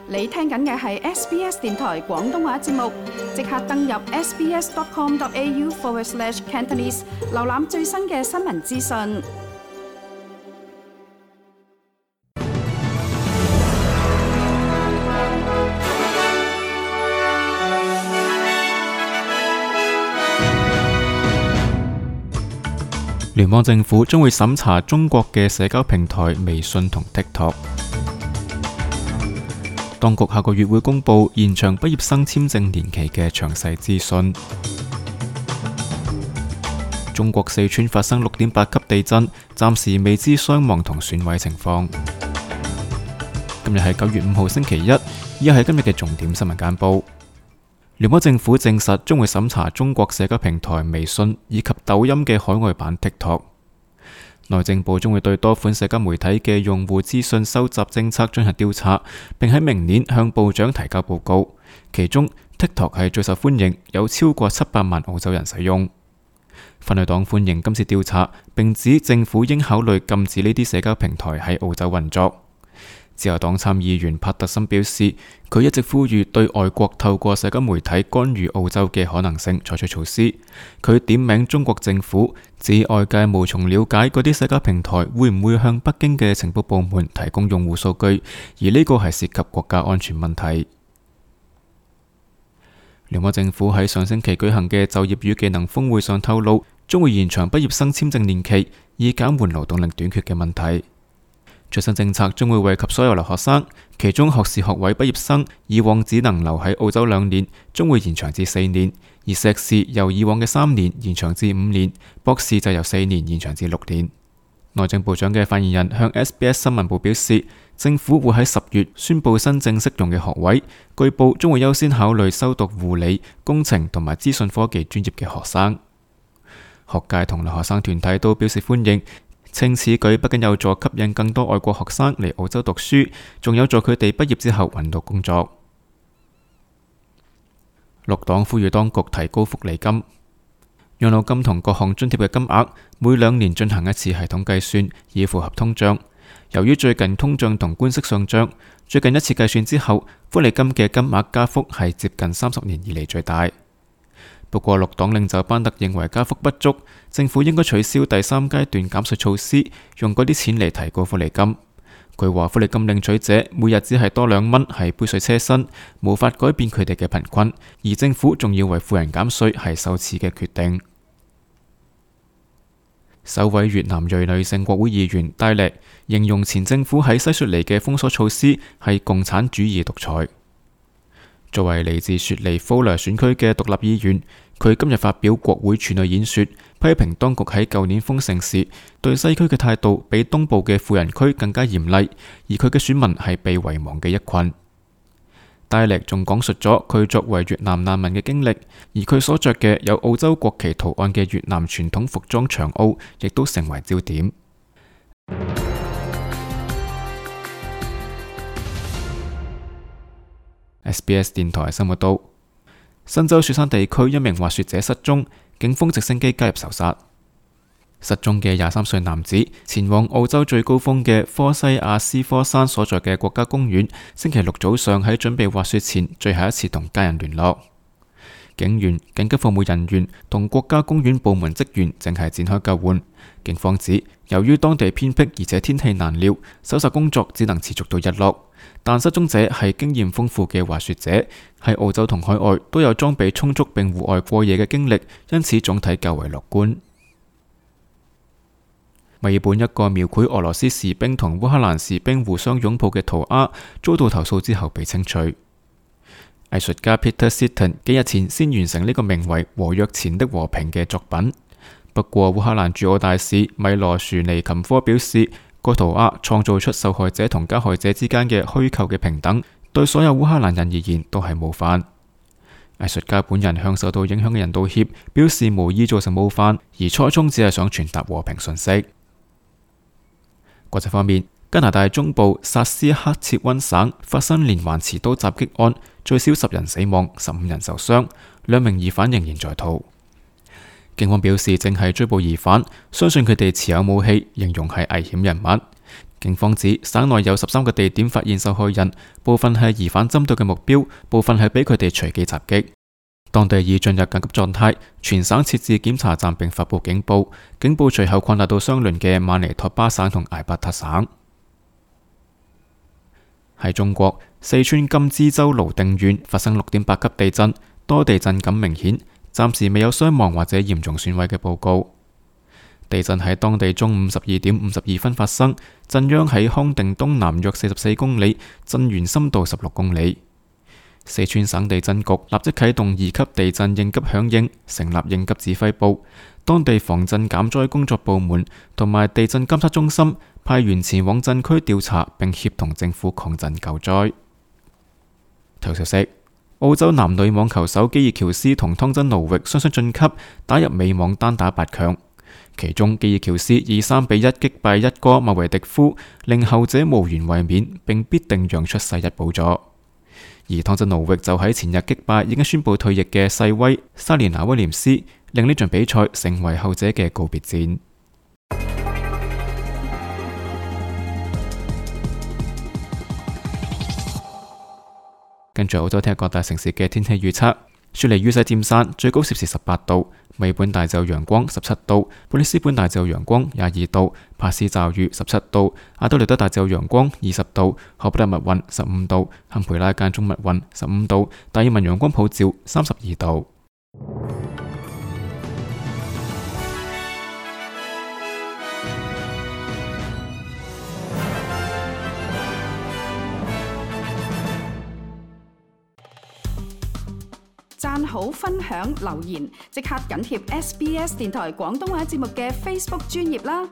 你聽緊嘅係 SBS 電台廣東話節目，即刻登入 sbs.com.au/Cantonese， 瀏覽最新嘅新聞資訊。聯邦政府將會審查中國嘅社交平台微信同 TikTok。當局下個月會公布延長畢業生簽證年期嘅詳細資訊。中國四川發生6.8級地震，暫時未知傷亡同損毀情況。今日係9月5號星期一，以下係今日嘅重點新聞簡報。聯邦政府證實將會審查中國社交平台微信以及抖音嘅海外版 TikTok。內政部將會對多款社交媒體嘅用戶資訊收集政策進行調查，並喺明年向部長提交報告。其中 TikTok 係最受歡迎，有超過700萬澳洲人使用。反對黨歡迎今次調查，並指政府應考慮禁止呢啲社交平台喺澳洲運作。自由黨參議員帕特森表示，佢一直呼籲對外國透過社交媒體干預澳洲嘅可能性採取措施。佢點名中國政府，指外界無從了解嗰啲社交平台會唔會向北京嘅情報部門提供用戶數據，而呢個係涉及國家安全問題。聯邦政府喺上星期舉行嘅就業與技能峰會上透露，將會延長畢業生簽證年期，以減緩勞動力短缺嘅問題。最新政策將會惠及所有留學生，其中學士學位畢業生以往只能留喺澳洲2年，將會延長至4年；而碩士由以往嘅3年延長至5年，博士就由4年延長至6年。內政部長嘅發言人向 SBS 新聞部表示，政府會喺10月宣布新正適用嘅學位，據報將會優先考慮修讀護理、工程同埋資訊科技專業嘅學生。學界同留學生團體都表示歡迎。稱此舉不僅有助吸引更多外國學生嚟澳洲讀書，仲有助佢哋畢業之後揾到工作。綠黨呼籲當局提高福利金、養老金同各項津貼嘅金額，每2年進行一次系統計算，以符合通脹。由於最近通脹同官息上漲，最近一次計算之後，福利金嘅金額加幅係接近30年以嚟最大。不過綠黨領袖班特認為加幅不足，政府應該取消第3階段減稅措施，用嗰啲錢嚟提高福利金。佢話福利金領取者每日只係多2蚊，係杯水車薪，無法改變佢哋嘅貧困，而政府仲要為富人減稅係羞恥嘅決定。首位越南裔女性國會議員戴力形容前政府喺西雪梨嘅封鎖措施係共產主義獨裁。作為嚟自雪梨福萊選區嘅獨立議員，佢今日發表國會處女演說，批評當局喺舊年封城時對西區嘅態度比東部嘅富人區更加嚴厲，而佢嘅選民係被遺忘嘅一群。戴力仲講述咗佢作為越南難民嘅經歷，而佢所着嘅有澳洲國旗圖案嘅越南傳統服裝長袄，亦都成為焦點。SBS 電台新聞道，新州雪山地區一名滑雪者失蹤，警方直升機介入搜殺。失蹤嘅23歲男子前往澳洲最高峰嘅科西亞斯科山所在嘅國家公園，星期六早上喺準備滑雪前最後一次同家人聯絡。警員、緊急服務人員同國家公園部門職員正係展開救援。警方指，由於當地偏僻而且天氣難料，搜索工作只能持續到日落。但失蹤者係經驗豐富嘅滑雪者，喺澳洲同海外都有裝備充足並戶外過夜嘅經歷，因此總體較為樂觀。墨爾本一個描繪俄羅斯士兵同烏克蘭士兵互相擁抱嘅塗鴉遭到投訴之後被清除。藝術家 Peter Sitton 幾日前先完成呢個名為《和約前的和平》嘅作品。不過烏克蘭駐澳大使米羅殊尼琴科表示，該塗鴉創造出受害者同加害者之間嘅虛構嘅平等，對所有烏克蘭人而言都係冒犯。藝術家本人向受到影響嘅人道歉，表示無意造成冒犯，而初衷只係想傳達和平訊息。國際方面，加拿大中部薩斯克切溫省發生連環持刀襲擊案，最少10人死亡，15人受傷，2名疑犯仍然在逃。警方表示正係追捕疑犯，相信佢哋持有武器，形容係危險人物。警方指省內有13個地點發現受害人，部分係疑犯針對嘅目標，部分係俾佢哋隨機襲擊。當地已進入緊急狀態，全省設置檢查站並發佈警報。警報隨後擴大到相鄰嘅馬尼托巴省同艾伯塔省。喺中國，四川甘孜州瀘定縣發生6.8級地震，多地震感明顯，暫時未有傷亡或者嚴重損毀嘅報告。地震喺當地中午12點52分發生，震央喺康定東南約44公里，震源深度16公里。四川省地震局立即啟動2級地震應急響應，成立應急指揮部，當地防震減災工作部門同埋地震監測中心派員前往震區調查並協同政府抗震救災。體育消息：澳洲男女網球手基爾喬斯同湯真奴域雙雙晉級，打入美網單打8強。其中基爾喬斯以3比1擊敗一哥麥維迪夫，令後者無緣衛冕，並必定讓出世一寶座。而湯真奴域就喺前日擊敗已經宣布退役嘅細威莎蓮娜威廉斯，令呢場比賽成為後者嘅告別戰。跟住澳洲聽日各大城市嘅天氣預測：雪梨雨勢漸散，最高攝氏18度；美本大晝陽光17度；布里斯本大晝陽光22度；帕斯驟雨17度；阿德萊德大晝陽光20度；荷伯特密雲15度；堪培拉間中密雲15度；達爾文陽光普照32度。讚好、分享、留言，即刻緊貼SBS 電台廣東話節目嘅 Facebook 專頁啦！